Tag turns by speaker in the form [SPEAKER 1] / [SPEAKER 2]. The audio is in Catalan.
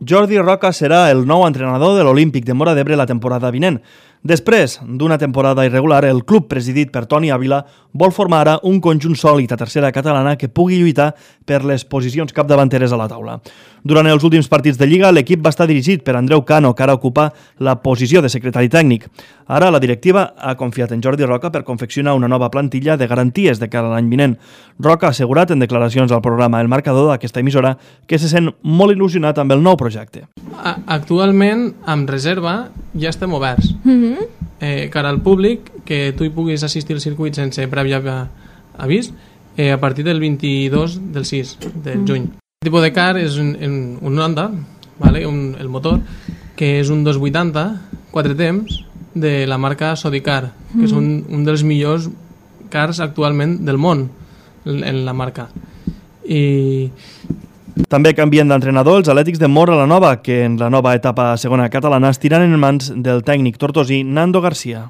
[SPEAKER 1] Jordi Roca serà el nou entrenador de l'Olímpic de Móra d'Ebre la temporada vinent. Després d'una temporada irregular, el club presidit per Toni Ávila vol formar ara un conjunt sòlid a tercera catalana que pugui lluitar per les posicions capdavanteres a la taula. Durant els últims partits de Lliga, l'equip va estar dirigit per Andreu Cano, que ara ocupa la posició de secretari tècnic. Ara la directiva ha confiat en Jordi Roca per confeccionar una nova plantilla de garanties de cara a l'any vinent. Roca ha assegurat en declaracions al programa El Marcador d'aquesta emissora que se sent molt il·lusionat amb el nou projecte.
[SPEAKER 2] Actualment, amb reserva, ja estem oberts. Cara al públic, que tu hi puguis assistir al circuit sense previ avís, a partir del 22 del 6 de juny. El tipus de car és un Honda, el motor, que és un 280, 4 temps, de la marca Sodicar, que és un dels millors cars actualment del món en la marca. I
[SPEAKER 1] també canvien d'entrenador els Atlètics de Móra la Nova, que en la nova etapa segona catalana estiran en mans del tècnic tortosí Nando García.